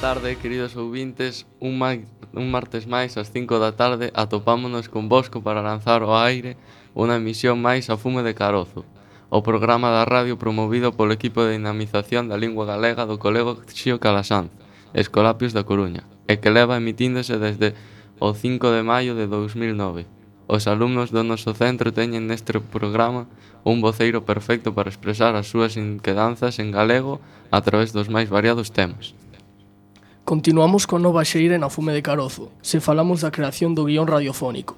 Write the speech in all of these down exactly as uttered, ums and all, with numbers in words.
tarde, queridos ouvintes. Un, ma- un martes máis, ás cinco da tarde, atopámonos con Bosco para lanzar ao aire unha emisión máis a Fume de Carozo, o programa da radio promovido polo equipo de dinamización da lingua galega do Colexio Calasanz, Escolapios da Coruña, e que leva emitíndose desde o cinco de maio de dous mil nove. Os alumnos do noso centro teñen neste programa un voceiro perfecto para expresar as súas inquedanzas en galego a través dos máis variados temas. Continuamos con nova xeira na Fume de Carozo, se falamos da creación do guión radiofónico.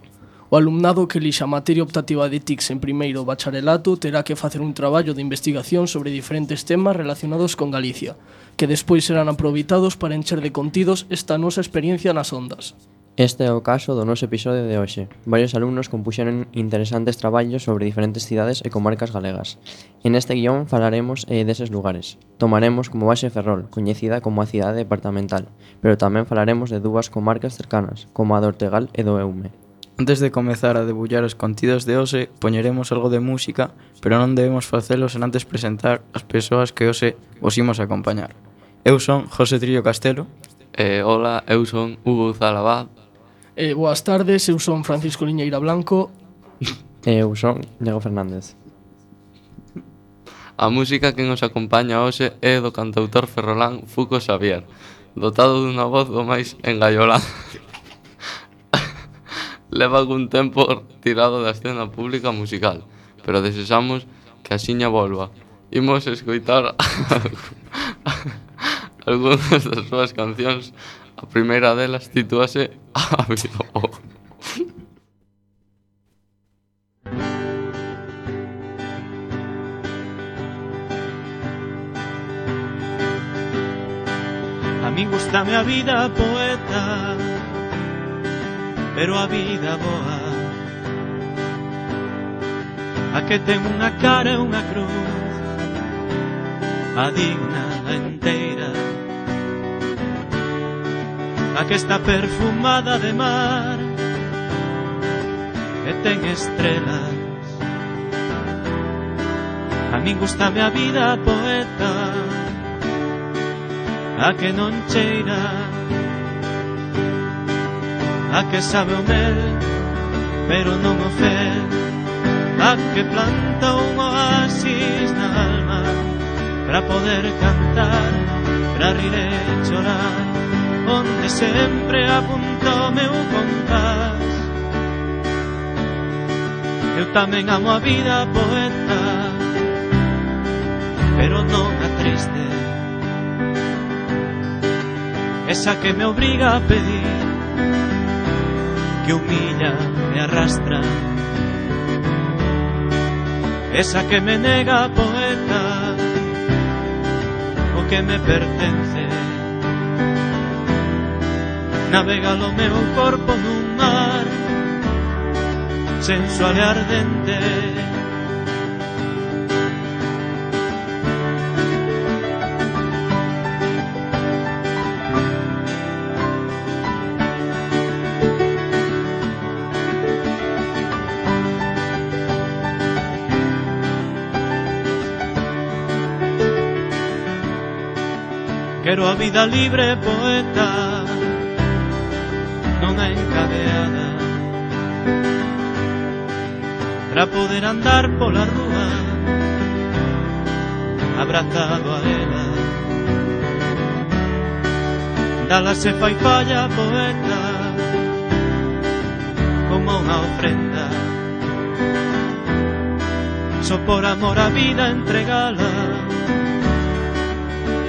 O alumnado que elixa a materia optativa de T I C S en primeiro bacharelato terá que facer un traballo de investigación sobre diferentes temas relacionados con Galicia, que despois serán aproveitados para encher de contidos esta nosa experiencia nas ondas. Este é o caso do noso episodio de hoxe. Varios alumnos compuxeron interesantes traballos sobre diferentes cidades e comarcas galegas. En este guión falaremos eh, deses lugares. Tomaremos como base Ferrol, coñecida como a cidade departamental, pero tamén falaremos de dúas comarcas cercanas, como a do Ortegal e do Eume. Antes de comezar a debullar os contidos de hoxe, poñeremos algo de música, pero non debemos facelo sen antes presentar as persoas que hoxe vos imos acompañar. Eu son José Trillo Castelo. Eh, hola, eu son Hugo Zalabad. Eh, boas tardes, eu son Francisco Liñeira Blanco. E eu son Diego Fernández. A música que nos acompaña hoxe é do cantautor ferrolán Fuco Xavier, dotado dunha voz do máis engaiolada. Leva algún tempo tirado da escena pública musical, pero desexamos que axiña volva. Imos escoitar algunhas das súas cancións. A primeira delas titúase A Vida Boa. A min gustame a vida poeta, pero a vida boa, a que ten unha cara e unha cruz, a digna, a enteira, a que está perfumada de mar e ten estrelas. A min gustame a vida poeta, a que non cheira, a que sabe o mel, pero non o fel, a que planta un oasis na alma para poder cantar, para rir e chorar, onde sempre apunta o meu compás. Eu tamén amo a vida poeta, pero non a triste, esa que me obriga a pedir, que humilla, me arrastra, esa que me nega poeta o que me pertence. Navega o meu corpo nun mar sensual e ardente. Quero a vida libre poeta, non a encadeada, para poder andar pola rúa abrazado a ela. Dala se fai falla poeta, como unha ofrenda, só por amor a vida entregala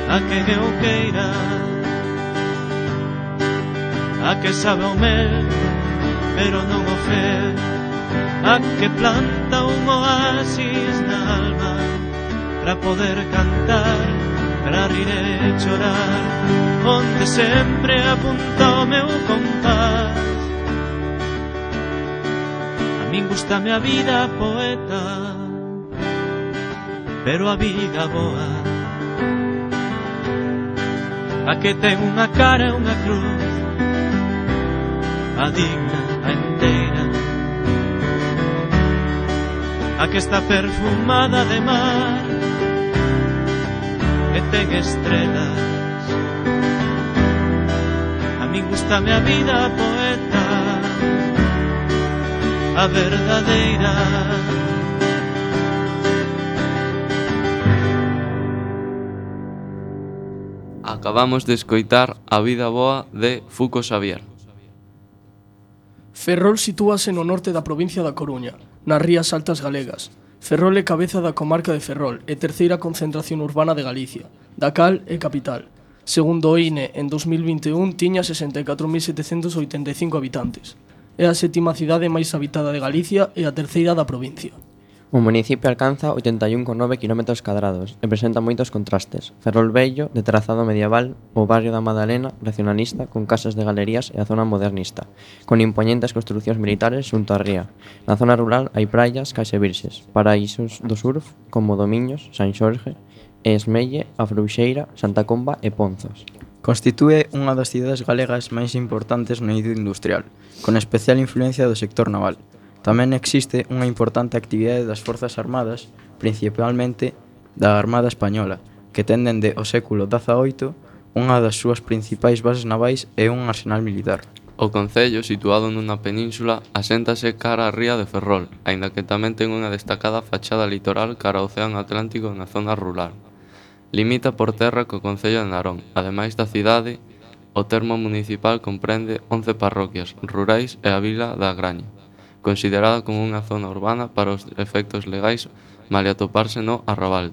a que eu queira, a que sabe o mel, pero non o fel, a que planta un oasis na alma para poder cantar, para rir e chorar, onde sempre apunta o meu compás. A min gustame a vida poeta, pero a vida boa, a que ten unha cara e unha cruz, a digna, a enteira, a que está perfumada de mar e ten estrelas. gústame a vida poeta, a verdadeira. Acabamos de escoitar A vida boa de Fuco Xavier. Ferrol sitúase no norte da provincia da Coruña, nas Rías Altas galegas. Ferrol é cabeza da comarca de Ferrol e terceira concentración urbana de Galicia, da cal é capital. Segundo o I N E, en dos mil vinte e un tiña sesenta e catro mil setecentos oitenta e cinco habitantes. É a sétima cidade máis habitada de Galicia e a terceira da provincia. O municipio alcanza oitenta e un coma nove kilómetros cadrados e presenta moitos contrastes. Ferrol Vello, de trazado medieval, o barrio da Madalena, racionalista, con casas de galerías e a zona modernista, con impoñentes construcións militares xunto á ría. Na zona rural hai praias case virxes, paraísos do surf, como Domiños, San Xorge, Esmelle, A Frouxeira, Santa Comba e Ponzos. Constitúe unha das cidades galegas máis importantes no eido industrial, con especial influencia do sector naval. Tamén existe unha importante actividade das Forzas Armadas, principalmente da Armada Española, que ten dende o século dezaoito unha das súas principais bases navais e un arsenal militar. O concello, situado nunha península, aséntase cara á ría de Ferrol, aínda que tamén ten unha destacada fachada litoral cara ao Océano Atlántico na zona rural. Limita por terra co concello de Narón. Ademais da cidade, o termo municipal comprende once parroquias rurais e a vila da Graña, considerada como unha zona urbana para os efectos legais, malia atoparse no arrabalde.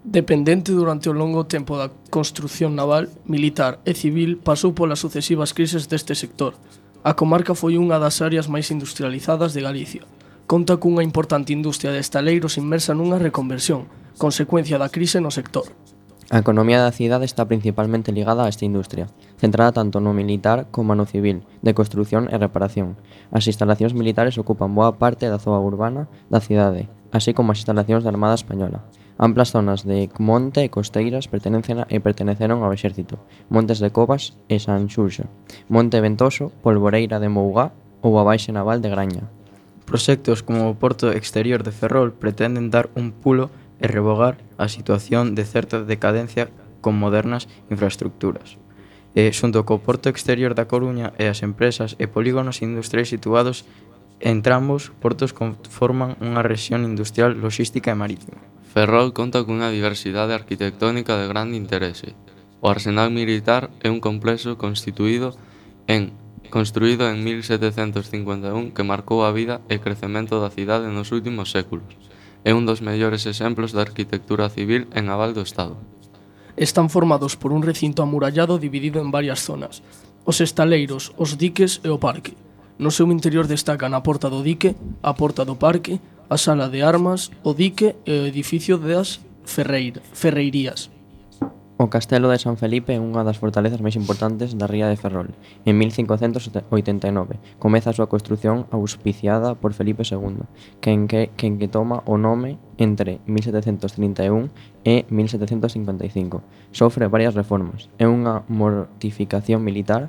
Dependente durante o longo tempo da construción naval, militar e civil, pasou polas sucesivas crises deste sector. A comarca foi unha das áreas máis industrializadas de Galicia. Conta cunha importante industria de estaleiros inmersa nunha reconversión, consecuencia da crise no sector. A economía da cidade está principalmente ligada a esta industria, centrada tanto no militar como no civil, de construción e reparación. As instalacións militares ocupan boa parte da zoa urbana da cidade, así como as instalacións da Armada Española. Amplas zonas de monte e costeiras pertenecen a, e perteneceron ao exército, Montes de Covas e San Xurxo, Monte Ventoso, Polvoreira de Mougá ou a Baixe Naval de Graña. Proxectos como o Porto Exterior de Ferrol pretenden dar un pulo e revogar a situación de certa decadencia con modernas infraestructuras. E, xunto co Porto Exterior da Coruña e as empresas e polígonos industriais situados entre ambos, portos conforman unha rexión industrial, logística e marítima. Ferrol conta cunha diversidade arquitectónica de grande interese. O arsenal militar é un complexo constituído en construído en mil setecentos cincuenta e un que marcou a vida e crecemento da cidade nos últimos séculos. É un dos mellores exemplos de arquitectura civil e naval do Estado. Están formados por un recinto amurallado dividido en varias zonas: os estaleiros, os diques e o parque. No seu interior destacan a porta do dique, a porta do parque, a sala de armas, o dique e o edificio das ferreira, ferreirías. O Castelo de San Felipe é unha das fortalezas máis importantes da ría de Ferrol. En mil cincocentos oitenta e nove comeza a súa construción auspiciada por Felipe segundo, quen que, quen que toma o nome entre mil setecentos trinta e un e mil setecentos cincuenta e cinco. Sofre varias reformas. É unha mortificación militar,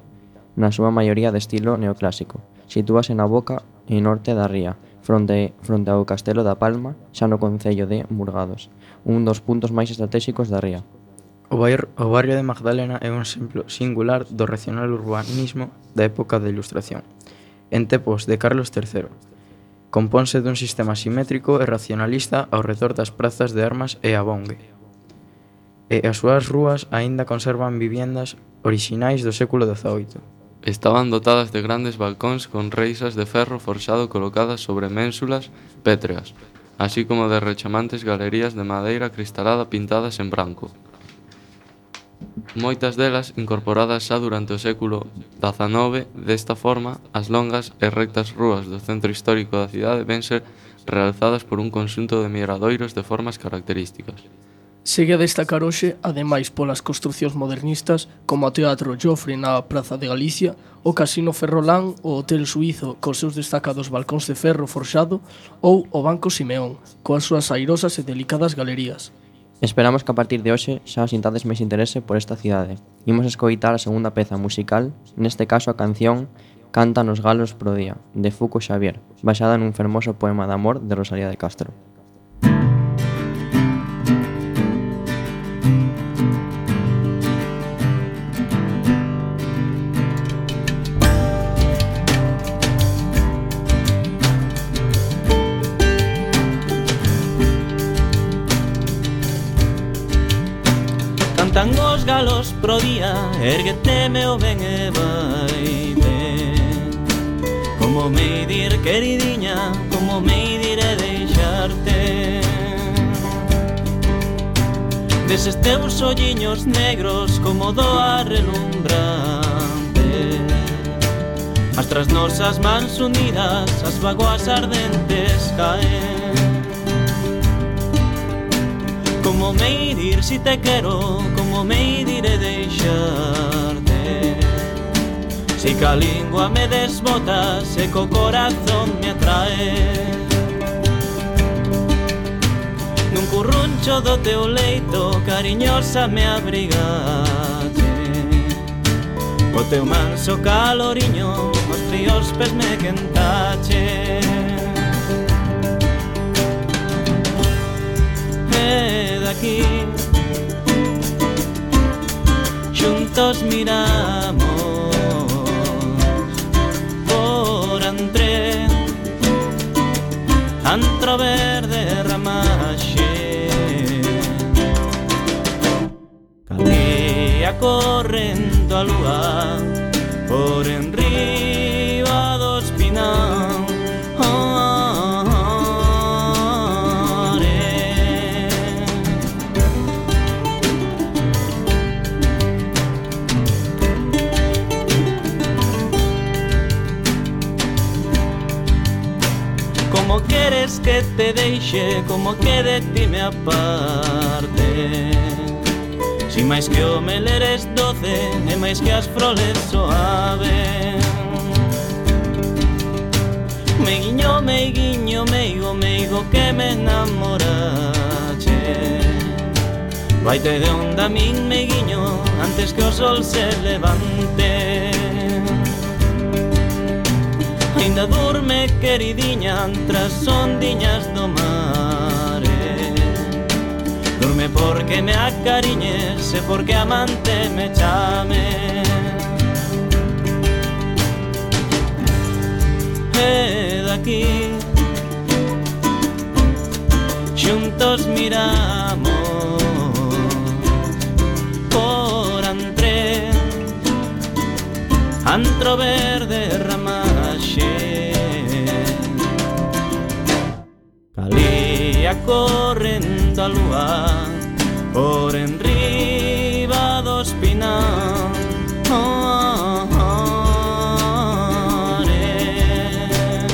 na súa maioría de estilo neoclásico. Sitúase na boca e norte da ría, fronte, fronte ao Castelo da Palma, xa no concello de Murgados, un dos puntos máis estratéxicos da ría. O barrio, o barrio de Magdalena é un exemplo singular do racional urbanismo da época da Ilustración. En tempos de Carlos terceiro, compónse dun sistema simétrico e racionalista ao redor das prazas de Armas e a Bongue. E as súas rúas aínda conservan viviendas orixinais do século dezaoito. Estaban dotadas de grandes balcóns con reixas de ferro forxado colocadas sobre ménsulas pétreas, así como de rechamantes galerías de madeira cristalada pintadas en branco. Moitas delas incorporadas xa durante o século dezanove. Desta forma, as longas e rectas rúas do centro histórico da cidade ven ser realzadas por un conxunto de miradoiros de formas características. Segue a destacar hoxe, ademais polas construcións modernistas, como o Teatro Jofre na Praza de Galicia, o Casino Ferrolán, o Hotel Suízo cos seus destacados balcóns de ferro forxado ou o Banco Simeón, coas súas airosas e delicadas galerías. Esperamos que a partir de hoxe xa sintades máis interese por esta cidade. Imos escoitar a segunda peza musical, neste caso a canción Cantan os galos pro día, de Fuco Xavier, baseada nun fermoso poema de amor de Rosalía de Castro. Cantan os galos pro día, erguete meu ben e vai ben. Como me dir queridiña, como me diré deixarte. Deses teus olliños negros como doa relumbrante. As tras nosas mans unidas as vagoas ardentes caen. Como me dir si te quero, como me diré deixarte. Si ca lingua me desbotas e co corazón me atrae. Nun curruncho do teu leito cariñosa me abrigache. O teu manso caloriño os fríos pés me quentache. E daqui xuntos miramos por entre antro verde ramaxe. Calía correndo a lúa por enriba do espinal. Como queres que te deixe, como que de ti me aparte. Si máis que o mel eres doce, e máis que as froles suave. Meiguiño, meiguiño, meigo, meigo que me enamorache. Vaite de onda min meiguiño, antes que o sol se levante. Ainda durme queridiña tras ondiñas do mare. Durme porque me acariñes e porque amante me chame. E daqui xuntos miramos por entre antro verde ramaxe. Calía correndo a lúa por enriba do espinal. Oh, oh, oh, eh.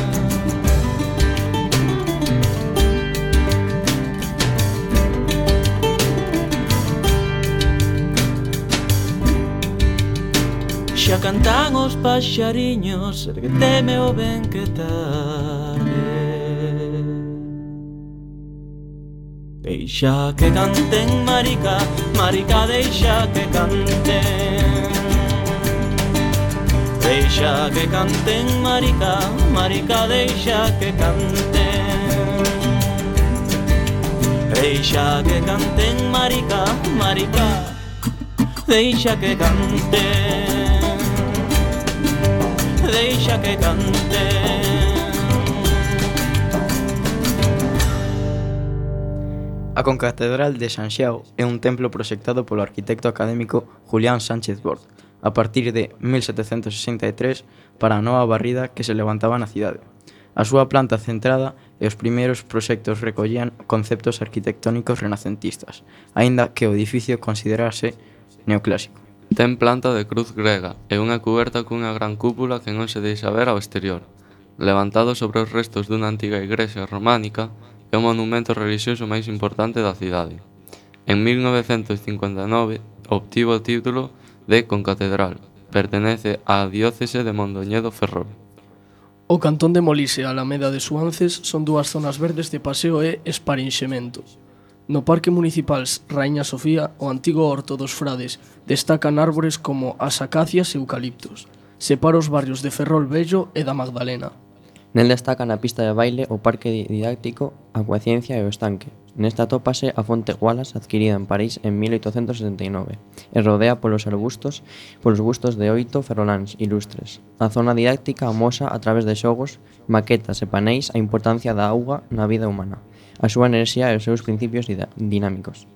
Xa cantan os paxariños, erguete meu ben que tarde. Deixa que canten, marica, marica, deixa que canten. Deixa que canten, marica, marica, deixa que canten. Deixa que canten, marica, marica, deixa que canten. Deixa que canten. A Concatedral de Sanxiao é un templo proxectado polo arquitecto académico Julián Sánchez Bort a partir de mil setecentos sesenta e tres para a nova barrida que se levantaba na cidade. A súa planta centrada e os primeiros proxectos recollían conceptos arquitectónicos renacentistas, aínda que o edificio considerase neoclásico. Ten planta de cruz grega e unha cuberta cunha gran cúpula que non se deixa ver ao exterior. Levantado sobre os restos dunha antiga igrexa románica, é o monumento relixioso máis importante da cidade. En mil novecentos cincuenta e nove obtivo o título de concatedral. Pertenece á diócese de Mondoñedo Ferrol. O cantón de Molise e a Alameda de Suances son dúas zonas verdes de paseo e esparinxemento. No Parque Municipal Raíña Sofía, o antigo Horto dos Frades, destacan árbores como as acacias e eucaliptos. Separa os barrios de Ferrol Vello e da Magdalena. Nel destacan a pista de baile, o parque didáctico, a Coaciencia e o estanque. Nesta atópase a fonte Wallace adquirida en París en mil oitocentos setenta e nove e rodea polos arbustos polos gustos de oito ferroláns ilustres. A zona didáctica amosa a través de xogos, maquetas e paneis a importancia da auga na vida humana, a súa enerxía e os seus principios dinámicos.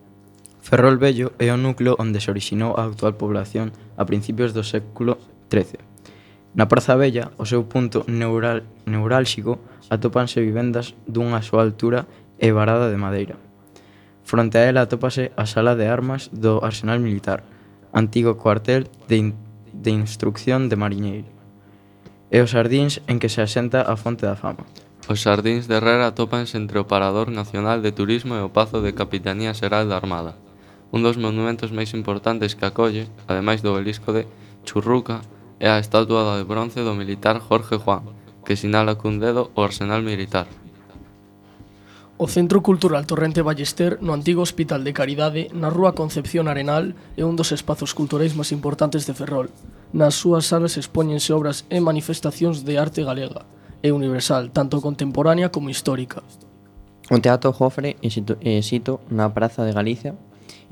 Ferrol Vello é o núcleo onde se orixinou a actual población a principios do século trece. Na Praza Vella, o seu punto neural, neurálxico, atópanse vivendas dunha súa altura e varada de madeira. Fronte a ela atópase a sala de armas do Arsenal Militar, antigo cuartel de, in, de instrucción de mariñeiro, e os xardíns en que se asenta a Fonte da Fama. Os xardíns de Herrera atópanse entre o Parador Nacional de Turismo e o Pazo de Capitanía Xeral da Armada, un dos monumentos máis importantes que acolle, ademais do obelisco de Churruca, é a estatua de bronce do militar Jorge Juan, que sinala cun dedo o Arsenal Militar. O Centro Cultural Torrente Ballester, no antigo Hospital de Caridade, na rúa Concepción Arenal, é un dos espazos culturais máis importantes de Ferrol. Nas súas salas expóñense obras e manifestacións de arte galega e universal, tanto contemporánea como histórica. O Teatro Jofre é sito, é sito na Praza de Galicia.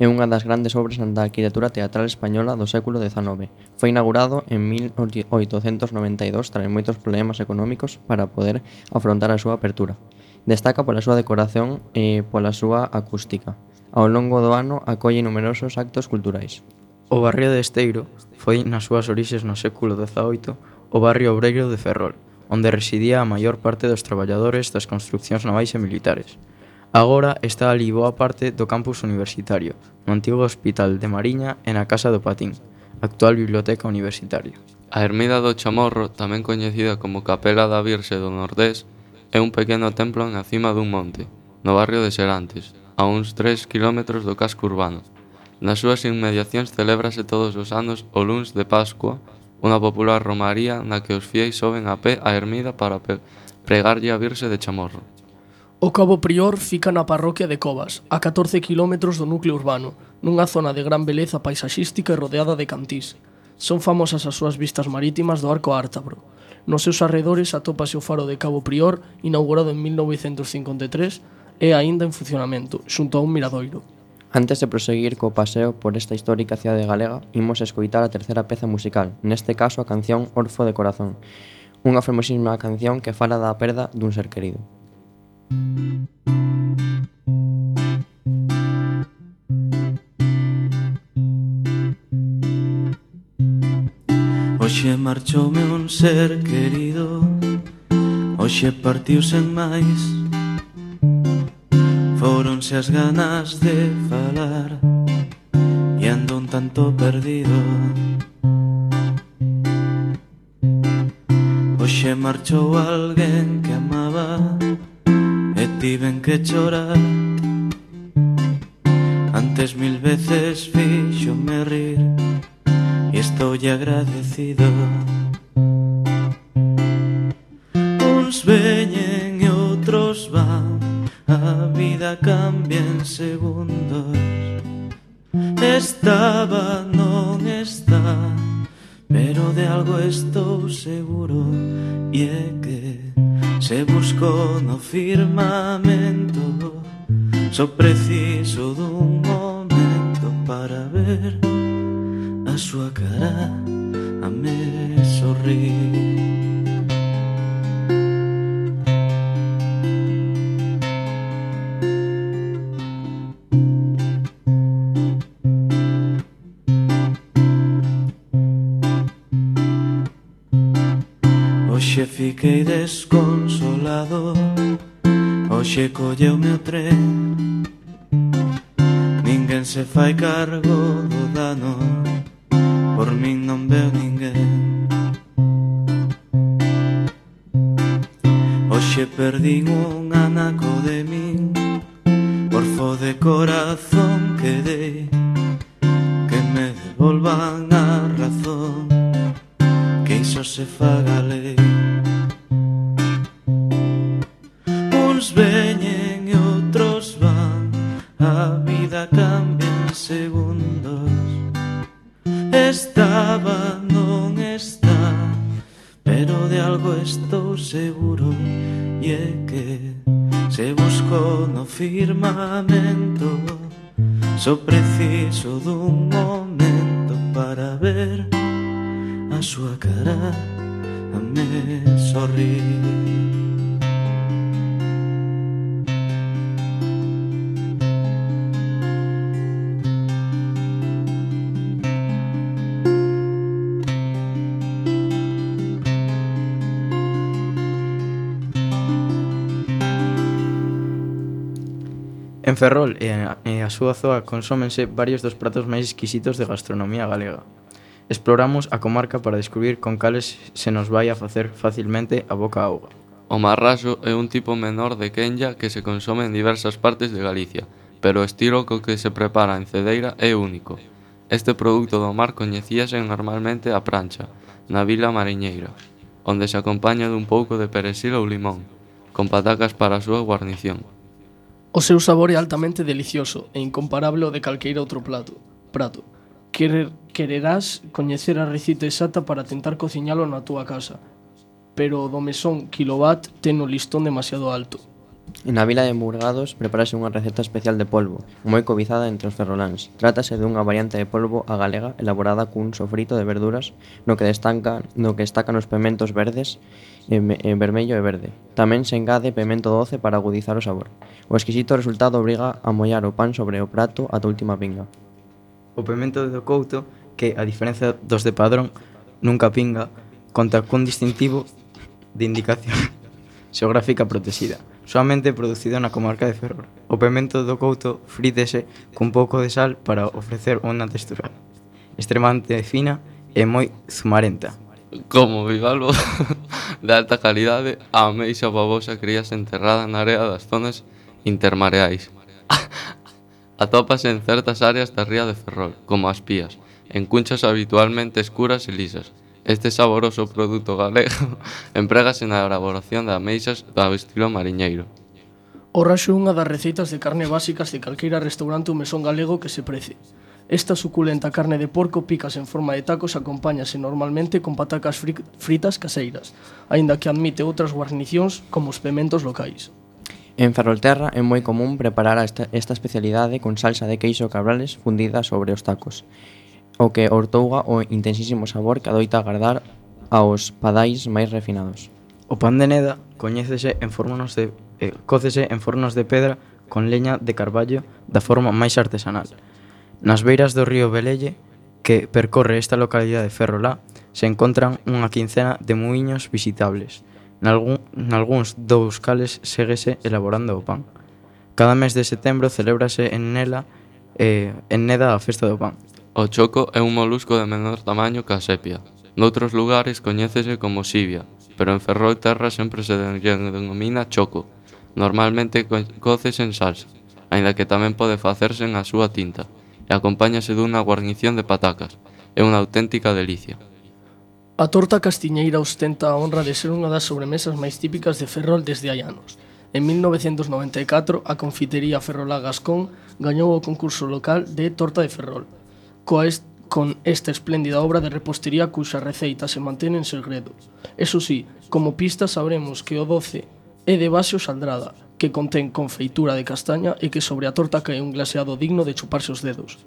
É unha das grandes obras da arquitectura teatral española do século dezanove. Foi inaugurado en mil oitocentos noventa e dous tras moitos problemas económicos para poder afrontar a súa apertura. Destaca pola súa decoración e pola súa acústica. Ao longo do ano acolle numerosos actos culturais. O barrio de Esteiro foi nas súas orixes no século dezaoito o barrio obreiro de Ferrol, onde residía a maior parte dos traballadores das construccións navais e militares. Agora está ali boa parte do campus universitario, no antigo Hospital de Mariña e na Casa do Patín, actual Biblioteca Universitaria. A Ermida do Chamorro, tamén coñecida como Capela da Virxe do Nordés, é un pequeno templo na cima dun monte, no barrio de Serantes, a uns tres kilómetros do casco urbano. Nas súas inmediacións celébrase todos os anos o luns de Pascua, unha popular romaría na que os fieis soben a pé a ermida para pregarlle a Virxe de Chamorro. O Cabo Prior fica na parroquia de Covas, a catorce kilómetros do núcleo urbano, nunha zona de gran beleza paisaxística e rodeada de cantís. Son famosas as súas vistas marítimas do Arco Ártabro. Nos seus arredores atópase o faro de Cabo Prior, inaugurado en mil novecentos cincuenta e tres, e aínda en funcionamento, xunto a un miradoiro. Antes de proseguir co paseo por esta histórica cidade galega, imos escoitar a terceira peza musical, neste caso a canción Orfo de Corazón, unha fermosísima canción que fala da perda dun ser querido. Hoxe marchoume un ser querido, hoxe partiu sen máis. Fóronse as ganas de falar e ando un tanto perdido. Hoxe marchou alguén que amaba e tiven que chorar. Antes mil veces fíxome rir e estoulle agradecido. Uns veñen e outros van, a vida cambia en segundos. Estaba, non está, pero de algo estou seguro, e é que se busco no firmamento. Só preciso dun momento para ver a súa cara a me sorrir. Hoxe fiquei desconsolado, hoxe colleume o tren. Ninguén se fai cargo do dano, por min non veo ninguén. Hoxe perdín un anaco de min, orfo de corazón quedei, que me devolvan a razón, que iso se faga lei. Uns veñen e outros van, a vida cambia en segundos. Estaba, non está, pero de algo estou seguro, e é que se busco no firmamento. Só preciso dun momento para ver a súa cara a me sorrir. En Ferrol e a, e a súa zoa consómense varios dos pratos máis exquisitos de gastronomía galega. Exploramos a comarca para descubrir con cales se nos vai a facer facilmente a boca auga. O marraxo é un tipo menor de quenlla que se consome en diversas partes de Galicia, pero o estilo co que se prepara en Cedeira é único. Este produto do mar coñecíase normalmente a prancha, na vila mariñeira, onde se acompaña dun pouco de perexil ou limón, con patacas para a súa guarnición. O seu sabor é altamente delicioso e incomparable ao de calqueira outro plato. Prato. Querer, quererás coñecer a recita exacta para tentar cociñalo na túa casa, pero o do mesón Kilowatt ten o listón demasiado alto. Na vila de Murgados prepárase unha receta especial de polvo, moi cobizada entre os ferroláns. Trátase dunha variante de polvo a galega elaborada cun sofrito de verduras no que destacan, no que destacan os pementos verdes, en, en vermello e verde. Tamén se engade pemento doce para agudizar o sabor. O exquisito resultado obriga a mollar o pan sobre o prato ata a última pinga. O pemento do Couto, que, a diferencia dos de Padrón, nunca pinga, conta cun distintivo de indicación xeográfica protexida, soamente producido na comarca de Ferrol. O pemento do Couto frítese cun pouco de sal para ofrecer unha textura extremamente fina e moi zumarenta. Como bivalvo de alta calidade, a ameixa babosa críase enterrada na area das zonas intermareais. Atópase en certas áreas da ría de Ferrol, como as pías, en cunchas habitualmente escuras e lisas. Este saboroso produto galego emprégase na elaboración de ameixas do estilo mariñeiro. O raxo é unha das receitas de carne básicas de calqueira restaurante ou mesón galego que se prece. Esta suculenta carne de porco picas en forma de tacos acompáñase normalmente con patacas fritas caseiras, aínda que admite outras guarnicións como os pementos locais. En Ferrolterra é moi común preparar esta, esta especialidade con salsa de queixo cabrales fundida sobre os tacos, o que ortouga o intensísimo sabor que adoita agardar aos padais máis refinados. O pan de neda coñécese en fornos de, eh, cócese en fornos de pedra con leña de carballo da forma máis artesanal. Nas beiras do río Velelle, que percorre esta localidade de Ferrolá, se encontran unha quincena de muiños visitables. Nalgún, nalgúns dous cales séguese elaborando o pan. Cada mes de setembro celébrase en nela eh, en Neda a festa do pan. O choco é un molusco de menor tamaño que a sepia. Noutros lugares coñécese como xibia, pero en Ferrolterra sempre se denomina choco. Normalmente cócese en salsa, aínda que tamén pode facerse en a súa tinta, e acompáñase dunha guarnición de patacas. É unha auténtica delicia. A torta castiñeira ostenta a honra de ser unha das sobremesas máis típicas de Ferrol desde hai anos. En mil novecentos noventa e catro, a confitería Ferrolá Gascón gañou o concurso local de Torta de Ferrol, coa est con esta espléndida obra de repostería cuxa receita se mantén en segredo. Eso sí, como pista sabremos que o doce é de base saldrada, que contén confeitura de castaña e que sobre a torta cae un glaseado digno de chuparse os dedos.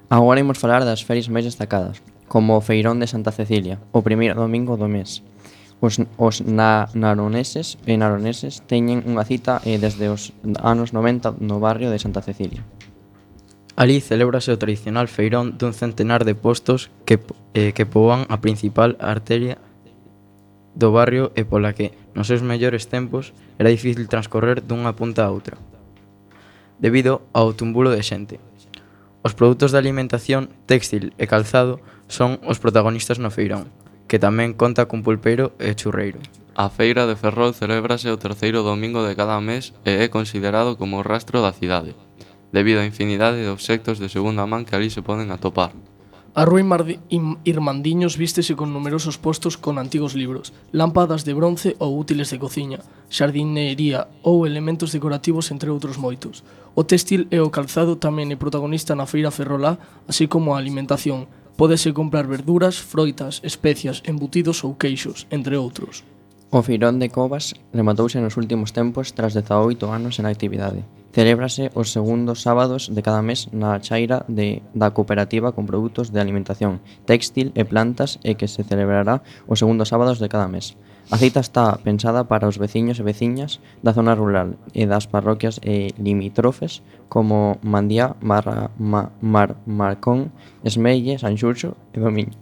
Agora imos falar das ferias máis destacadas, como o Feirón de Santa Cecilia, o primeiro domingo do mes. Os, os na, naroneses e naroneses teñen unha cita eh, desde os anos noventa no barrio de Santa Cecilia. Alí celébrase o tradicional feirón dun centenar de postos que, eh, que poboan a principal arteria do barrio e pola que, nos seus mellores tempos, era difícil transcorrer dunha punta a outra, debido ao tumbulo de xente. Os produtos de alimentación, téxtil e calzado son os protagonistas no feirón, que tamén conta cun pulpeiro e churreiro. A feira de Ferrol celébrase o terceiro domingo de cada mes e é considerado como o rastro da cidade, debido á infinidade de obxectos de segunda man que ali se poden atopar. A Rúa Irmandiños vístese con numerosos postos con antigos libros, lámpadas de bronce ou útiles de cociña, xardinería ou elementos decorativos entre outros moitos. O téxtil e o calzado tamén é protagonista na feira ferrolá, así como a alimentación. Pódese comprar verduras, froitas, especias, embutidos ou queixos, entre outros. O Feirón de Covas rematouse nos últimos tempos tras dezaoito anos en actividade. Celébrase os segundos sábados de cada mes na chaira de, da cooperativa con produtos de alimentación, téxtil e plantas e que se celebrará os segundos sábados de cada mes. A cita está pensada para os veciños e veciñas da zona rural e das parroquias e limítrofes como Mandiá, Mar, Ma, Mar, Marcón, Esmelle, Sanxurxo e Domiños.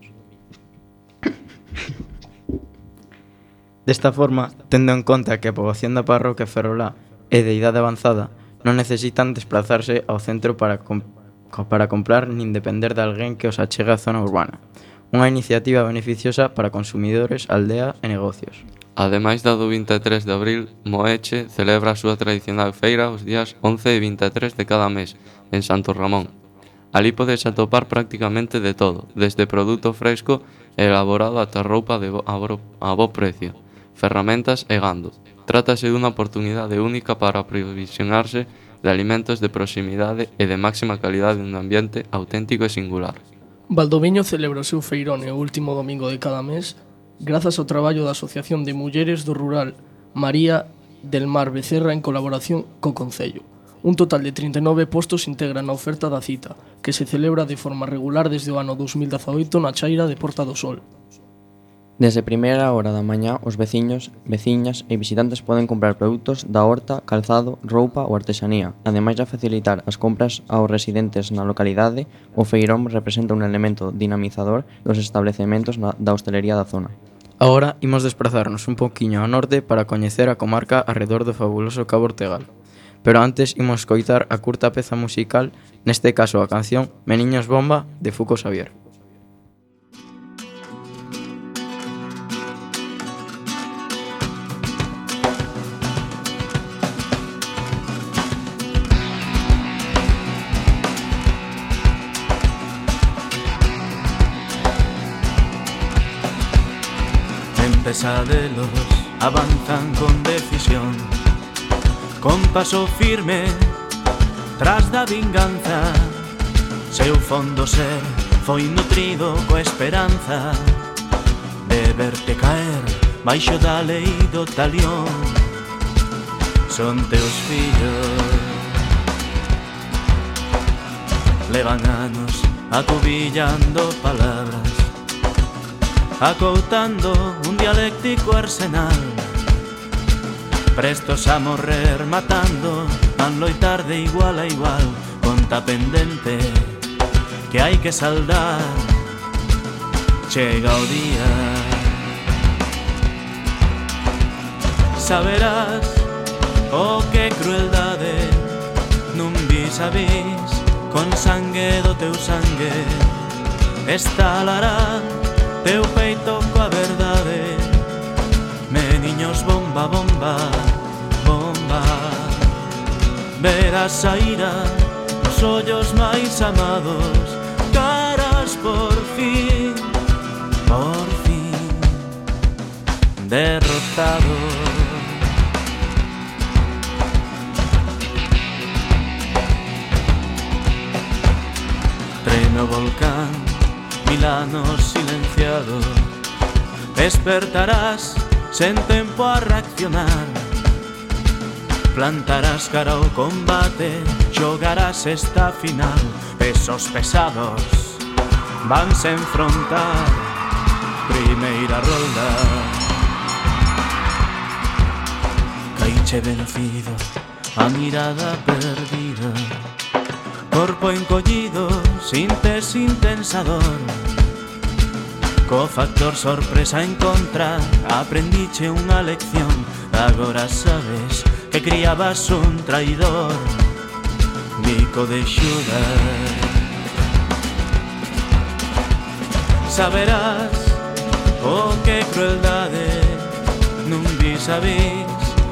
Desta forma, tendo en conta que a poboación da parroquia ferrolá é de idade avanzada, non necesitan desplazarse ao centro para, comp para comprar nin depender de alguén que os achegue á zona urbana. Unha iniciativa beneficiosa para consumidores, aldea e negocios. Ademais da do vinte e tres de abril, Moeche celebra a súa tradicional feira os días once e vinte e tres de cada mes, en Santo Ramón. Alí podes atopar prácticamente de todo, desde produto fresco e elaborado ata roupa de bo, a, bo, a bo precio, ferramentas e gando. Trátase dunha oportunidade única para aprovisionarse de alimentos de proximidade e de máxima calidade nun ambiente auténtico e singular. Valdoviño celebra o seu feirón o último domingo de cada mes grazas ao traballo da Asociación de Mulleres do Rural María del Mar Becerra en colaboración co Concello. Un total de trinta e nove postos integran a oferta da cita, que se celebra de forma regular desde o ano dos mil dezaoito na chaira de Porta do Sol. Desde primeira hora da mañá, os veciños, veciñas e visitantes poden comprar produtos da horta, calzado, roupa ou artesanía. Ademais de facilitar as compras aos residentes na localidade, o feirón representa un elemento dinamizador dos establecementos na, da hostelería da zona. Agora imos desprazarnos un poquiño ao norte para coñecer a comarca arredor do fabuloso Cabo Ortegal. Pero antes imos coitar a curta peza musical, neste caso a canción Meniños Bomba, de Fuco Xavier. Pesadelos avanzan con decisión, con paso firme tras da vinganza. Seu fondo ser foi nutrido coa esperanza de verte caer baixo da lei do talión. Son teus fillos, levan anos acubillando palabras, acoutando un dialéctico arsenal, prestos a morrer matando, van loitar de igual a igual, conta pendente que hai que saldar. Chega o día, saberás o que crueldade nun vis a vis, con sangue do teu sangue estalará teu peito coa verdade. Meniños bomba, bomba, bomba, verás a ira nos ollos máis amados, caras por fin, por fin derrotados. Treme o volcán, mil anos silenciado, despertarás sen tempo a reaccionar, plantarás cara ao combate, xogarás esta final, pesos pesados vanse enfrontar, primeira rolda. Caiche vencido, a mirada perdida, corpo encollido, sintes intensador, co factor sorpresa en contra, aprendiche unha lección, agora sabes que criabas un traidor, bico de Xudas. Saberás o que crueldade nun vis a vis,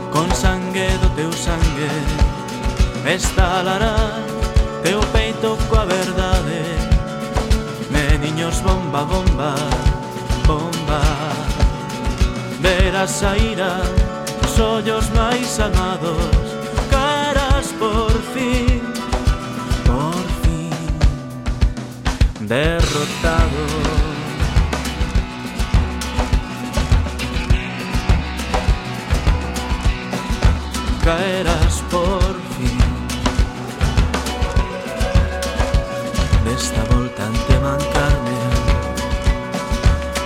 con sangue do teu sangue estalará teu peito coa verdade. Meniños bomba, bomba, bomba, verás a ira nos ollos máis amados, caras por fin, por fin derrotados. Caerás por fin, desta volta ante mancarme,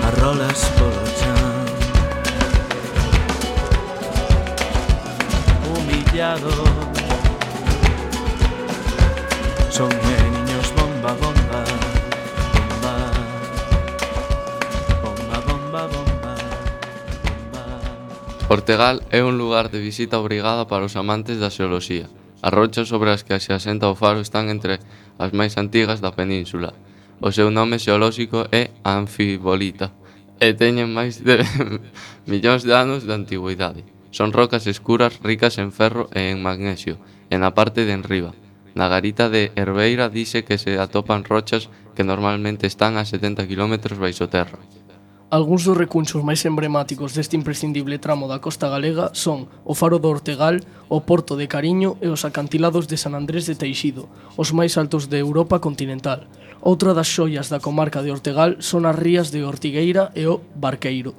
arrolas polo chan, humillado. Son meniños bomba, bomba, bomba, bomba, bomba, bomba, bomba. Ortegal é un lugar de visita obrigada para os amantes da xeoloxía. As rochas sobre as que se asenta o faro están entre as máis antigas da península. O seu nome xeolóxico é anfibolita e teñen máis de millóns de anos de antigüidade. Son rocas escuras ricas en ferro e en magnesio, e na parte de enriba. Na garita de Herbeira dice que se atopan rochas que normalmente están a setenta kilómetros baixo terra. Algúns dos recunchos máis emblemáticos deste imprescindible tramo da costa galega son o Faro do Ortegal, o Porto de Cariño e os acantilados de San Andrés de Teixido, os máis altos de Europa continental. Outra das xoias da comarca de Ortegal son as rías de Ortigueira e o Barqueiro.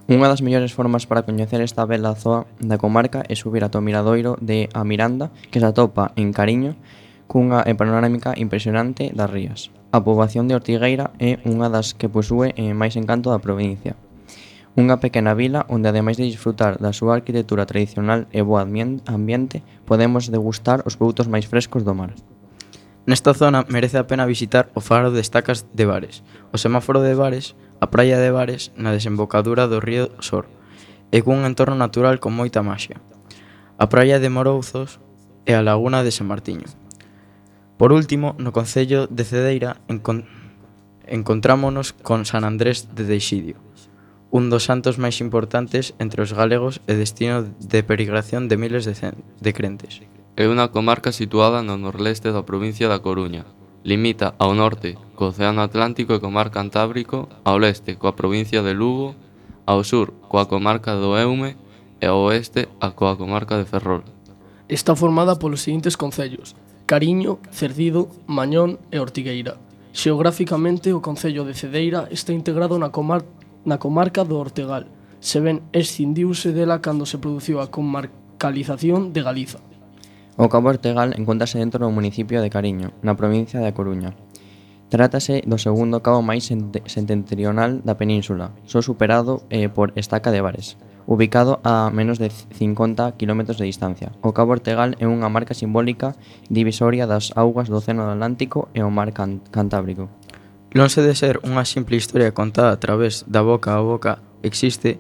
Unha das mellores formas para coñecer esta bela zoa da comarca é subir ata o miradoiro de A Miranda, que se atopa en Cariño, cunha panorámica impresionante das rías. A poboación de Ortigueira é unha das que posúe máis encanto da provincia. Unha pequena vila onde, ademais de disfrutar da súa arquitectura tradicional e bo ambiente, podemos degustar os produtos máis frescos do mar. Nesta zona merece a pena visitar o faro de Estacas de Bares, o semáforo de Bares, a praia de Bares na desembocadura do río Sor, e cun entorno natural con moita maxia. A praia de Morouzos e a laguna de San Martiño. Por último, no concello de Cedeira encon encontrámonos con San Andrés de Teixido, un dos santos máis importantes entre os galegos e destino de peregrinación de miles de, de crentes. É unha comarca situada no norleste da provincia da Coruña. Limita ao norte co Océano Atlántico e co Mar Cantábrico, ao leste coa provincia de Lugo, ao sur coa comarca do Eume e ao oeste a coa comarca de Ferrol. Está formada polos seguintes concellos: Cariño, Cerdido, Mañón e Ortigueira. Xeográficamente, o concello de Cedeira está integrado na, comar na comarca do Ortegal, se ben escindiuse dela cando se produciu a comarcalización de Galiza. O Cabo Ortegal encontrase dentro do municipio de Cariño, na provincia da Coruña. Trátase do segundo cabo máis setentrional da península, só superado eh, por Estaca de Bares, ubicado a menos de cincuenta kilómetros de distancia. O Cabo Ortegal é unha marca simbólica divisoria das augas do Océano Atlántico e o Mar Can Cantábrico. Lonxe de ser unha simple historia contada a través da boca a boca, existe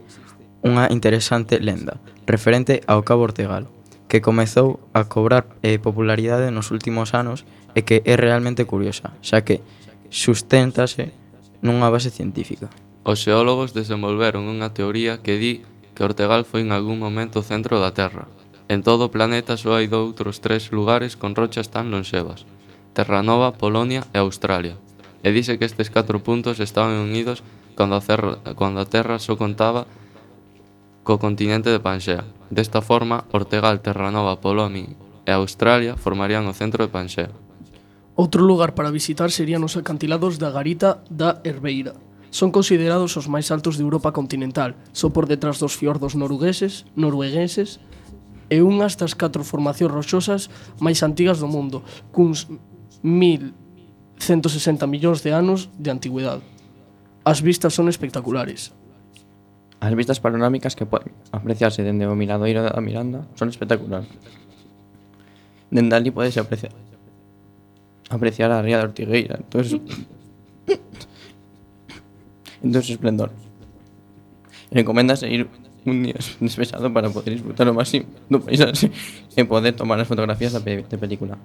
unha interesante lenda referente ao Cabo Ortegal, que comezou a cobrar eh, popularidade nos últimos anos e que é realmente curiosa, xa que susténtase nunha base científica. Os xeólogos desenvolveron unha teoría que di que Ortegal foi en algún momento o centro da Terra. En todo o planeta só hai doutros tres lugares con rochas tan lonxevas: Terranova, Polonia e Australia. E dice que estes catro puntos estaban unidos cando a, cerra, cando a Terra só contaba co continente de Panxea. Desta forma, Ortegal, Terranova, Polonia e Australia formarían o centro de Panxea. Outro lugar para visitar serían os acantilados da garita da Herbeira. Son considerados os máis altos de Europa continental, só por detrás dos fiordos norugueses, noruegueses e unhas das catro formacións rochosas máis antigas do mundo, cuns mil ciento sesenta millóns de anos de antigüidade. As vistas son espectaculares. As vistas panorámicas que poden apreciarse dende o miradoiro da Miranda son espectaculares. Dende ali podes apreciar apreciar a ría de Ortigueira, entonces entonces esplendor. Recoméndase ir un día despexado para poder disfrutar o máximo do paisaxe e poder tomar as fotografías da pe de película.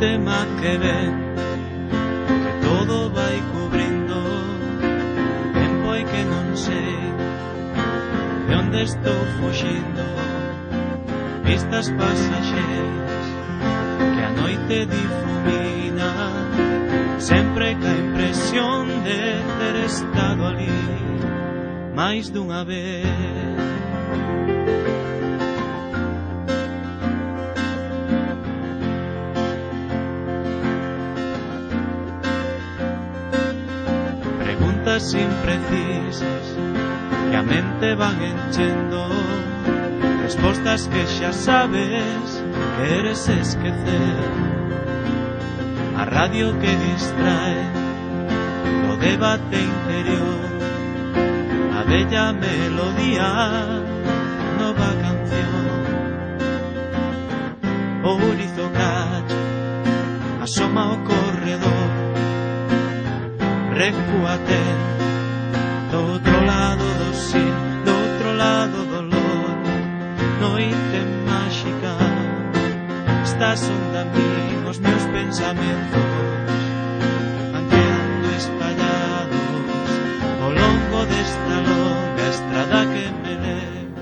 Tema que ven, que todo vai cubrindo tempo e que non sei de onde estou fuxindo. Vistas pasaxeiras que a noite difumina, sempre ca impresión de ter estado ali máis dunha vez. Preguntas imprecisas que a mente van enchendo, respostas que xa sabes, queres esquecer. A radio que distrae do debate interior, a bella melodía, nova canción. O ourizo cacho asoma o corredor, recúate do outro lado do sí, do outro lado do lor. Noite máxica, estás onda a mí, os meus pensamentos van quedando espallados ao longo desta longa estrada que me leva.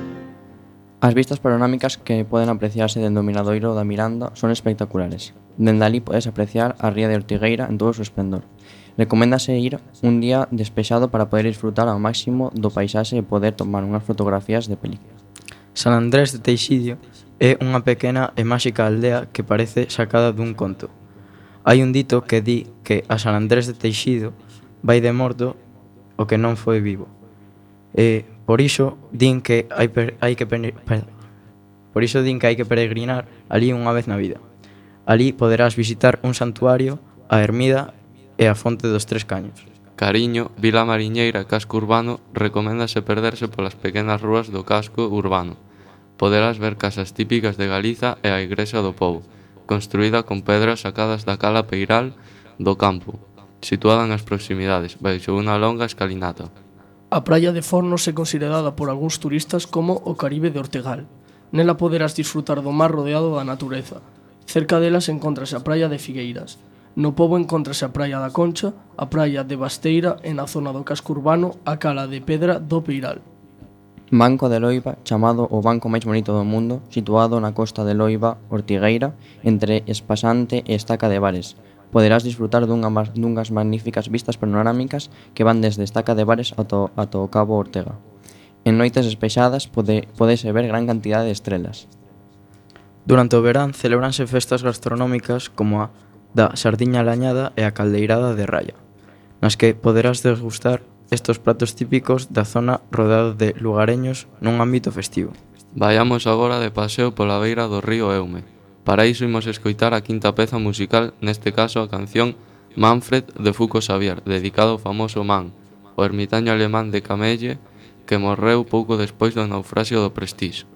As vistas panorámicas que poden apreciarse dende o miradoiro da Miranda son espectaculares. Dende ali podes apreciar a ría de Ortigueira en todo o seu esplendor. Recoméndase ir un día despexado para poder disfrutar ao máximo do paisaxe e poder tomar unhas fotografías de película. San Andrés de Teixido é unha pequena e máxica aldea que parece sacada dun conto. Hai un dito que di que a San Andrés de Teixido vai de morto o que non foi vivo. E por iso din que hai, per, hai que per, per, por iso din que hai que peregrinar ali unha vez na vida. Ali poderás visitar un santuario, a ermida e a fonte dos Tres Caños. Cariño, Vila Mariñeira e casco urbano, recoméndase perderse polas pequenas rúas do casco urbano. Poderás ver casas típicas de Galiza e a igrexa do Pou, construída con pedras sacadas da cala peiral do campo, situada nas proximidades, baixo unha longa escalinata. A praia de Fornos é considerada por algúns turistas como o Caribe de Ortegal. Nela poderás disfrutar do mar rodeado da natureza. Cerca delas encontrase a praia de Figueiras. No Pobo encontrase a praia da Concha, a praia de Basteira e na zona do casco urbano a cala de pedra do Peiral. Banco de Loiba, chamado o banco máis bonito do mundo, situado na costa de Loiba, Ortigueira, entre Espasante e Estaca de Bares. Poderás disfrutar dunha, dunhas magníficas vistas panorámicas que van desde Estaca de Bares ata, ata o Cabo Ortega. En noites despexadas pode, podese ver gran cantidade de estrelas. Durante o verán celebranse festas gastronómicas como a da sardiña lañada e a caldeirada de Raya, nas que poderás degustar estos pratos típicos da zona rodeado de lugareños nun ámbito festivo. Vayamos agora de paseo pola beira do río Eume. Para iso imos escoitar a quinta peza musical, neste caso a canción Manfred de Foucault Xavier, dedicado ao famoso Man, o ermitaño alemán de Camelle, que morreu pouco despois do naufraxio do Prestige.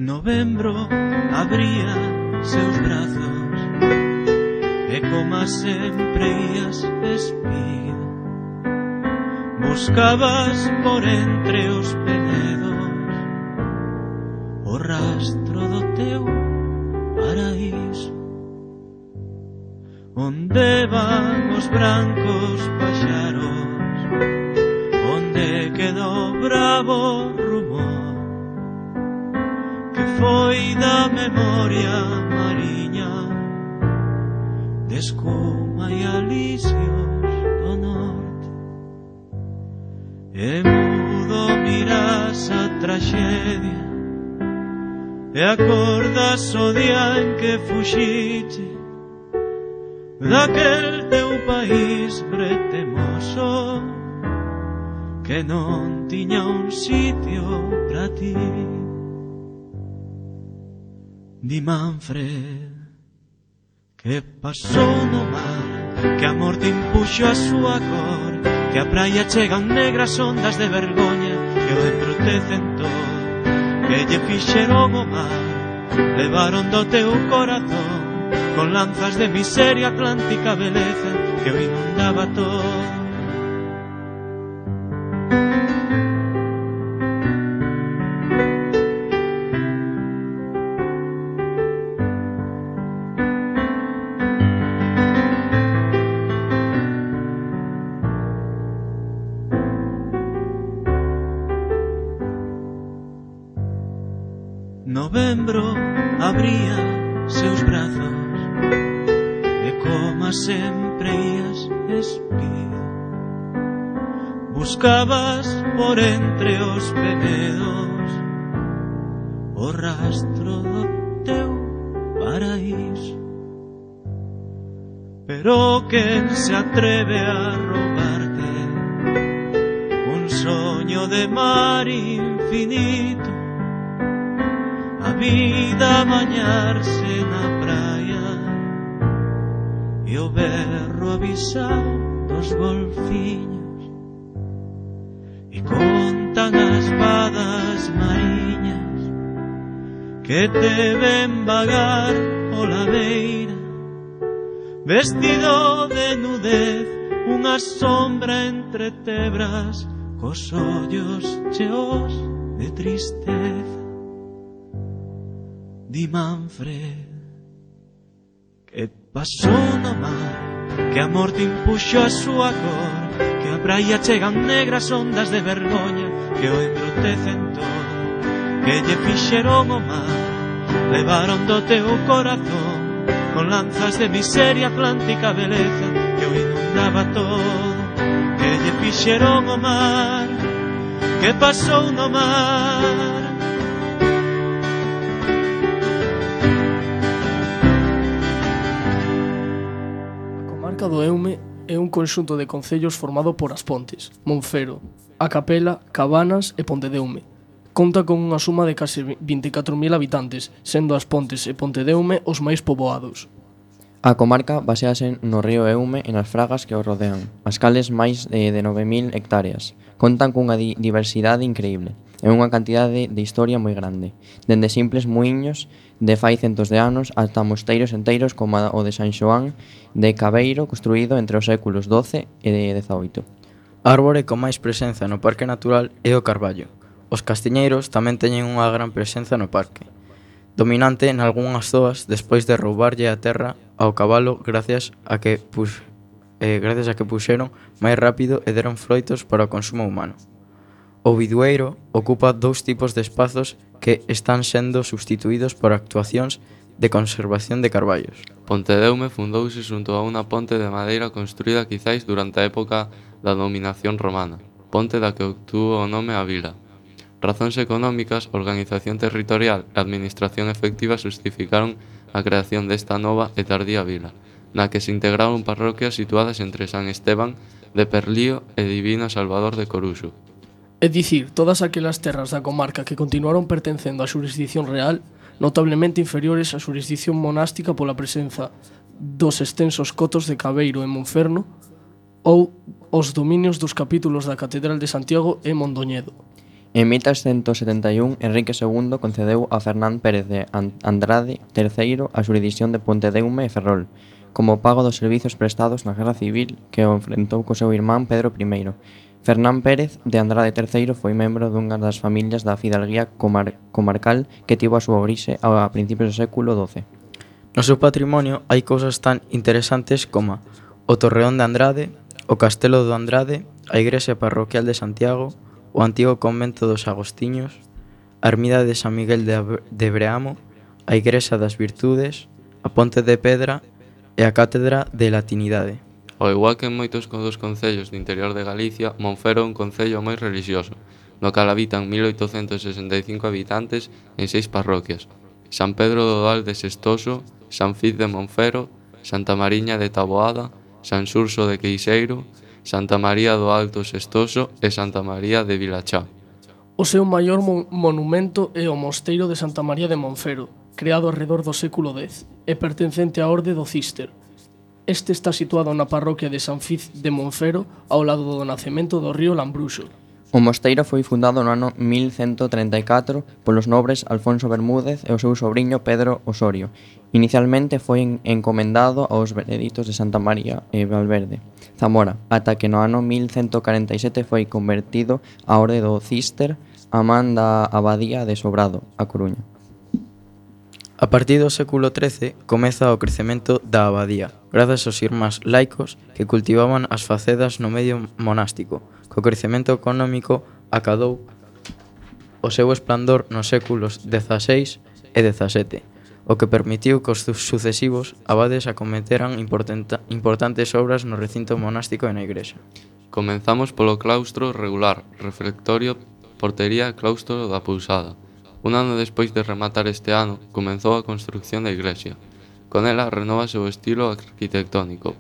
Novembro abría seus brazos e como sempre ías espido, buscabas por entre os penedos o rastro do teu paraíso, onde van os brancos paxaros, onde quedou bravo rumor que foi da memoria mariña de escuma e alisios do norte. E mudo miras a traxedia e acordas o día en que fuxite daquel teu país pretemoso que non tiña un sitio pra ti. Di Manfred que pasou no mar, que a morte impuxo a súa cor, que a praia chegan negras ondas de vergoña que o embrutecen todo, que lle fixeron o mar, levaron do teu corazón con lanzas de miseria atlántica beleza que o inundaba todo. Novembro abría seus brazos e como sempre ías espido, buscabas por entre os penedos o rastro do teu paraíso. Pero quen se atreve a roubarte un soño de mar infinito, a vida a bañarse na praia e o berro avisar dos golfiños, e contan as vadas mariñas que te ven vagar pola beira, vestido de nudez, unha sombra entre tebras, cos ollos cheos de tristeza. Di Manfred, que pasou no mar, que a morte impuxo a súa cor, que a praia chegan negras ondas de vergoña que o embrutecen todo, que lle fixeron o mar, levaron do teu corazón con lanzas de miseria atlántica beleza que o inundaba todo, que lle fixeron o mar, que pasou no mar. A comarca do Eume é un conxunto de concellos formado por As Pontes, Monfero, A Capela, Cabanas e Pontedeume. Conta con unha suma de case vinte e catro mil habitantes, sendo As Pontes e Pontedeume os máis poboados. A comarca basease no río Eume e nas fragas que o rodean, as cales máis de, de nove mil hectáreas. Contan cunha di diversidade increíble e unha cantidade de historia moi grande, dende simples muiños de fai centos de anos ata mosteiros enteiros como o de San Xoán de Cabeiro, construído entre os séculos doce e dezaoito. A árbore con máis presenza no Parque Natural é o carballo. Os castiñeiros tamén teñen unha gran presenza no parque, dominante en algunhas zoas despois de roubarlle a terra ao cabalo gracias a que pus, eh, gracias a que puxeron máis rápido e deron froitos para o consumo humano. O bidueiro ocupa dous tipos de espazos que están sendo substituídos por actuacións de conservación de carballos. Pontedeume fundouse xunto a unha ponte de madeira construída quizáis durante a época da dominación romana, ponte da que obtuvo o nome a vila. Razóns económicas, organización territorial e administración efectiva justificaron a creación desta nova e tardía vila, na que se integraron parroquias situadas entre San Esteban de Perlío e Divino Salvador de Coruxo. É dicir, todas aquelas terras da comarca que continuaron pertencendo á xurisdición real, notablemente inferiores á xurisdición monástica pola presenza dos extensos cotos de Cabeiro e Monferno ou os dominios dos capítulos da Catedral de Santiago e Mondoñedo. En mil trescentos setenta e un, Enrique segundo concedeu a Fernán Pérez de Andrade terceiro a xurisdición de Pontedeume e Ferrol, como pago dos servizos prestados na Guerra Civil que o enfrentou co seu irmán Pedro primeiro. Fernán Pérez de Andrade terceiro foi membro dunha das familias da fidalguía comar comarcal que tivo a súa orixe a principios do século doce. No seu patrimonio hai cousas tan interesantes como o Torreón de Andrade, o Castelo do Andrade, a Igrexa Parroquial de Santiago, o antigo convento dos Agostiños, a ermida de San Miguel de Breamo, a Igrexa das Virtudes, a Ponte de Pedra e a Cátedra de Latinidade. Ao igual que en moitos dos concellos do interior de Galicia, Monfero é un concello moi relixioso, no cal habitan mil oitocentos sesenta e cinco habitantes en seis parroquias: San Pedro do Val de Sestoso, San Fiz de Monfero, Santa Mariña de Taboada, San Xurxo de Queixeiro, Santa María do Alto Sestoso e Santa María de Vilachá. O seu maior mo monumento é o Mosteiro de Santa María de Monfero, creado arredor do século dez, e pertencente á Orde do Císter. Este está situado na parroquia de San Fiz de Monfero, ao lado do nacemento do río Lambruxo. O mosteiro foi fundado no ano mil cento treinta e catro polos nobres Alfonso Bermúdez e o seu sobriño Pedro Osorio. Inicialmente foi encomendado aos beneditos de Santa María e Valverde, Zamora, ata que no ano mil cento corenta e sete foi convertido á Orde do Císter a man da Abadía de Sobrado, a Coruña. A partir do século trece comeza o crecemento da abadía, grazas aos irmáns laicos que cultivaban as facedas no medio monástico. Co crecemento económico acadou o seu esplendor nos séculos dezaseis e dezasete, o que permitiu que os sucesivos abades acometeran importantes obras no recinto monástico e na igrexa. Comenzamos polo claustro regular, refectorio, portería e claustro da Pousada. Un ano despois de rematar este ano, comenzou a construcción da iglesia. Con ela renóvase o estilo arquitectónico,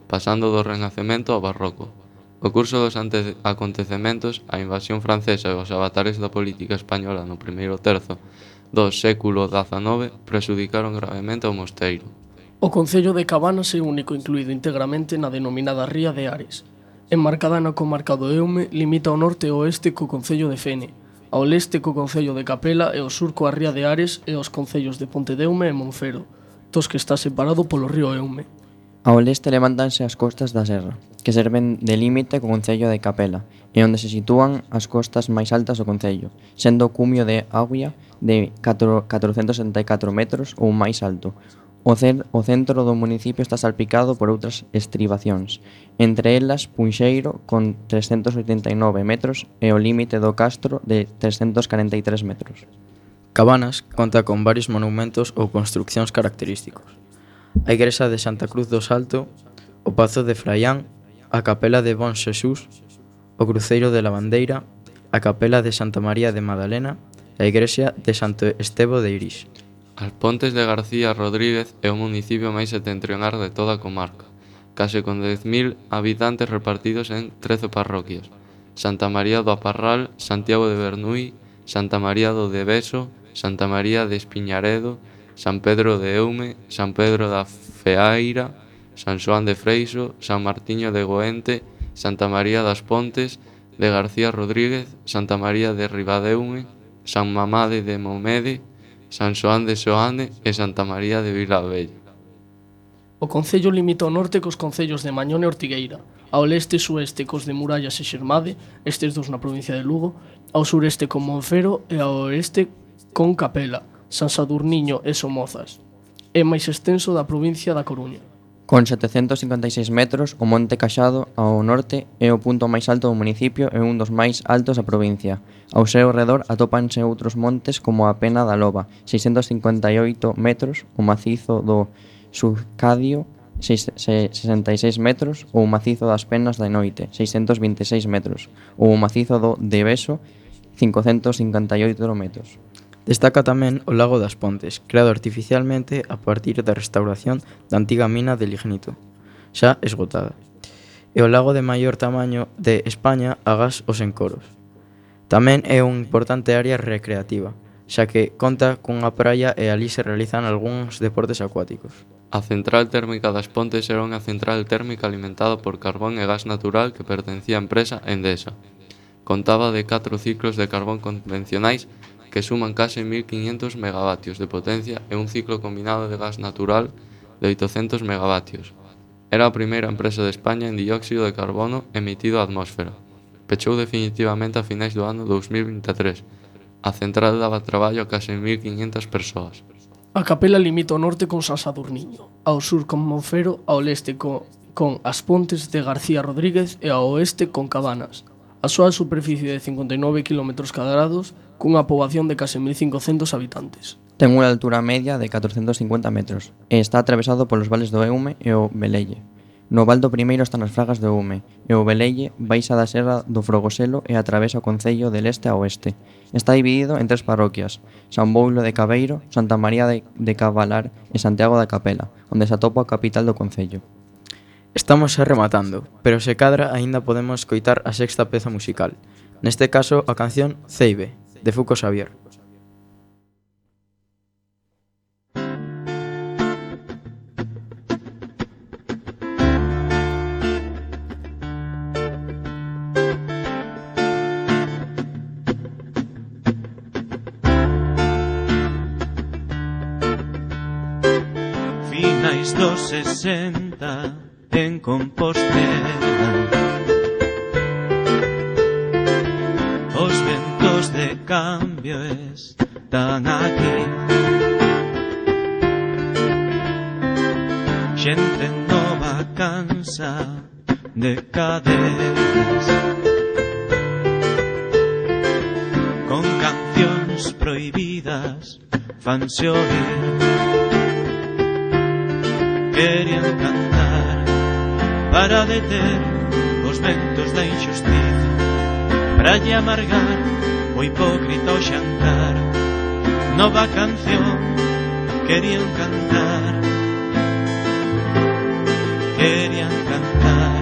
pasando do Renacemento ao Barroco. O curso dos acontecementos, a invasión francesa e os avatares da política española no primeiro terzo do século dezanove prexudicaron gravemente ao mosteiro. O concello de Cabanas é único incluído integramente na denominada Ría de Ares. Enmarcada na comarca do Eume, limita ao norte e ao oeste co concello de Fene, ao leste co concello de Capela e ao sur coa Ría de Ares e os concellos de Pontedeume e Monfero, dos que está separado polo río Eume. Ao leste levántanse as costas da serra, que serven de límite co concello de Capela, e onde se sitúan as costas máis altas do concello, sendo o cumio de Aguia de catrocentos setenta e catro metros ou máis alto. O, cer o centro do municipio está salpicado por outras estribacións, entre elas Punxeiro con trescentos oitenta e nove metros e o límite do Castro de trescentos corenta e tres metros. Cabanas conta con varios monumentos ou construccións característicos. A igrexa de Santa Cruz do Salto, o Pazo de Fraián, a Capela de Bon Xesús, o Cruceiro de la Bandeira, a Capela de Santa María de Madalena e a igrexa de Santo Estevo de Irís. As Pontes de García Rodríguez é o municipio máis setentrional de toda a comarca, case con dez mil habitantes repartidos en trece parroquias: Santa María do Aparral, Santiago de Bernuy, Santa María do Deveso, Santa María de Espiñaredo, San Pedro de Eume, San Pedro da Feaira, San Xoán de Freixo, San Martiño de Goente, Santa María das Pontes de García Rodríguez, Santa María de Ribadeume, San Mamade de Momede, San Xoán de Xoane e Santa María de Vilavella. O concello limita ao norte cos concellos de Mañón e Ortigueira, ao leste e sueste cos de Murallas e Xermade, estes dos na provincia de Lugo, ao sureste con Monfero e ao oeste con Capela, San Sadurniño e Somozas. É máis extenso da provincia da Coruña. Con setecentos cincuenta e seis metros, o Monte Caxado, ao norte, é o punto máis alto do municipio e un dos máis altos da provincia. Ao seu redor atópanse outros montes como a Pena da Loba, seiscentos cincuenta e oito metros, o macizo do Surcadio, sesenta e seis metros, ou o macizo das Penas da Noite, seiscentos vinte e seis metros, ou o macizo do Deveso, cincocentos cincuenta e oito metros. Destaca tamén o Lago das Pontes, creado artificialmente a partir da restauración da antiga mina de lignito, xa esgotada, e o lago de maior tamaño de España agás os Encoros. Tamén é unha importante área recreativa, xa que conta cunha praia e ali se realizan algúns deportes acuáticos. A central térmica das Pontes era unha central térmica alimentada por carbón e gas natural que pertencía á empresa Endesa. Contaba de catro ciclos de carbón convencionais que suman case mil quinhentos megavatios de potencia e un ciclo combinado de gas natural de oitocentos megavatios. Era a primeira empresa de España en dióxido de carbono emitido á atmósfera. Pechou definitivamente a finais do ano dous mil vinte e tres. A central daba traballo a case mil quinhentas persoas. A Capela limita ao norte con San Sadurniño, ao sur con Monfero, ao leste con, con as Pontes de García Rodríguez e ao oeste con Cabanas. A súa superficie de cincuenta e nove quilómetros cadrados cunha poboación de case mil cincocentos habitantes. Ten unha altura media de catrocentos cincuenta metros e está atravesado polos vales do Eume e o Velelle. No val do primeiro están as fragas do Eume e o Velelle baixa da serra do Frogoselo e atravesa o concello de leste a oeste. Está dividido en tres parroquias: San Boulo de Cabeiro, Santa María de, de Cavalar e Santiago da Capela, onde se atopa a capital do concello. Estamos xa rematando, pero se cadra aínda podemos coitar a sexta peza musical, neste caso a canción Ceibe, de Fuco Xavier. Finais dos sesenta en Compostela, os ventos de cambio están aquí, xente nova cansa de cadenas, con cancións prohibidas fanse oír, querían cantar para deter os ventos da injustiza, pra lle amargar o hipócrita o xantar. Nova canción querían cantar, querían cantar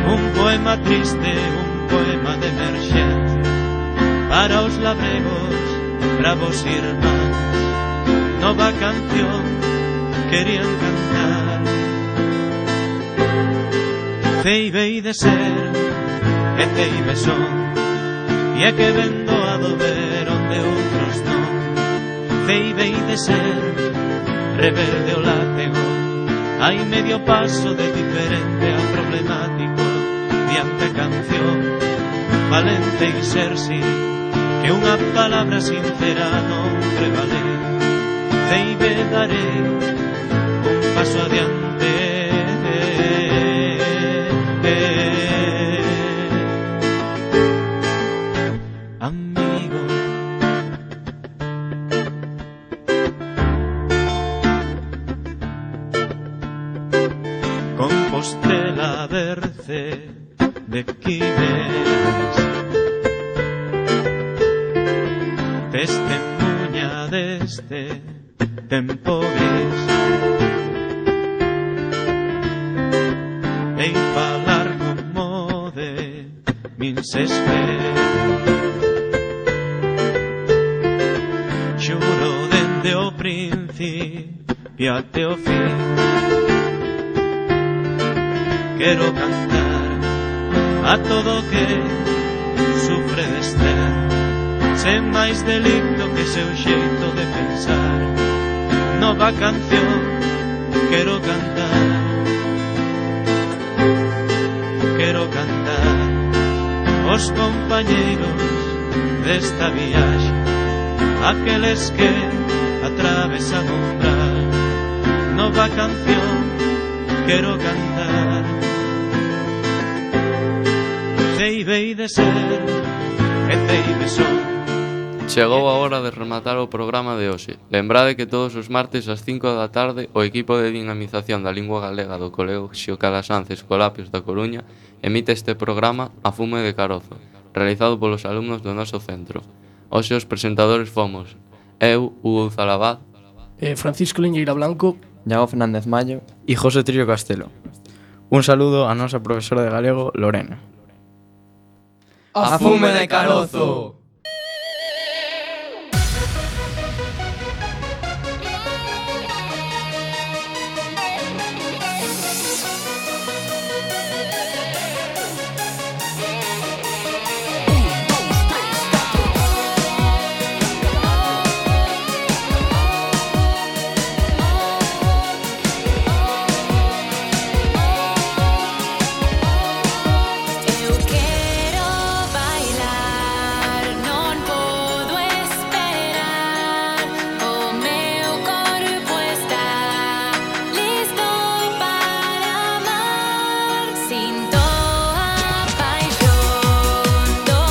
un poema triste, un poema de emerxencia para os labregos, bravos irmáns. Nova canción querían cantar. Ceibei de ser e ceibe son, e é que vendo a dober onde outros non. Ceibei de ser rebelde o látego, hai medio paso de diferente a problemático diante canción. Valente e ser si, que unha palabra sincera non prevale. Ceibe darei un paso adiante. Amigo, Compostela berce de quimes, testemunha deste tempo gris, en falar como de min se espera. Xuro dende o principio até o fin, quero cantar a todo que sufre de estar, sen máis delito que seu xeito de pensar. Nova canción quero cantar, quero cantar os compañeiros desta viaxe, aqueles que atravesan o umbral. Nova canción quero cantar. Ceibei de ser e ceibe son. Chegou a hora de rematar o programa de hoxe. Lembrade que todos os martes ás cinco da tarde o equipo de dinamización da lingua galega do Colexio Calasanz Escolapios da Coruña emite este programa A Fume de Carozo, realizado polos alumnos do noso centro. Hoxe os presentadores fomos eu, Hugo Zalabad, eh, Francisco Leñeira Blanco, Iago Fernández Mallo e José Trillo Castelo. Un saludo a nosa profesora de galego, Lorena. A Fume de Carozo!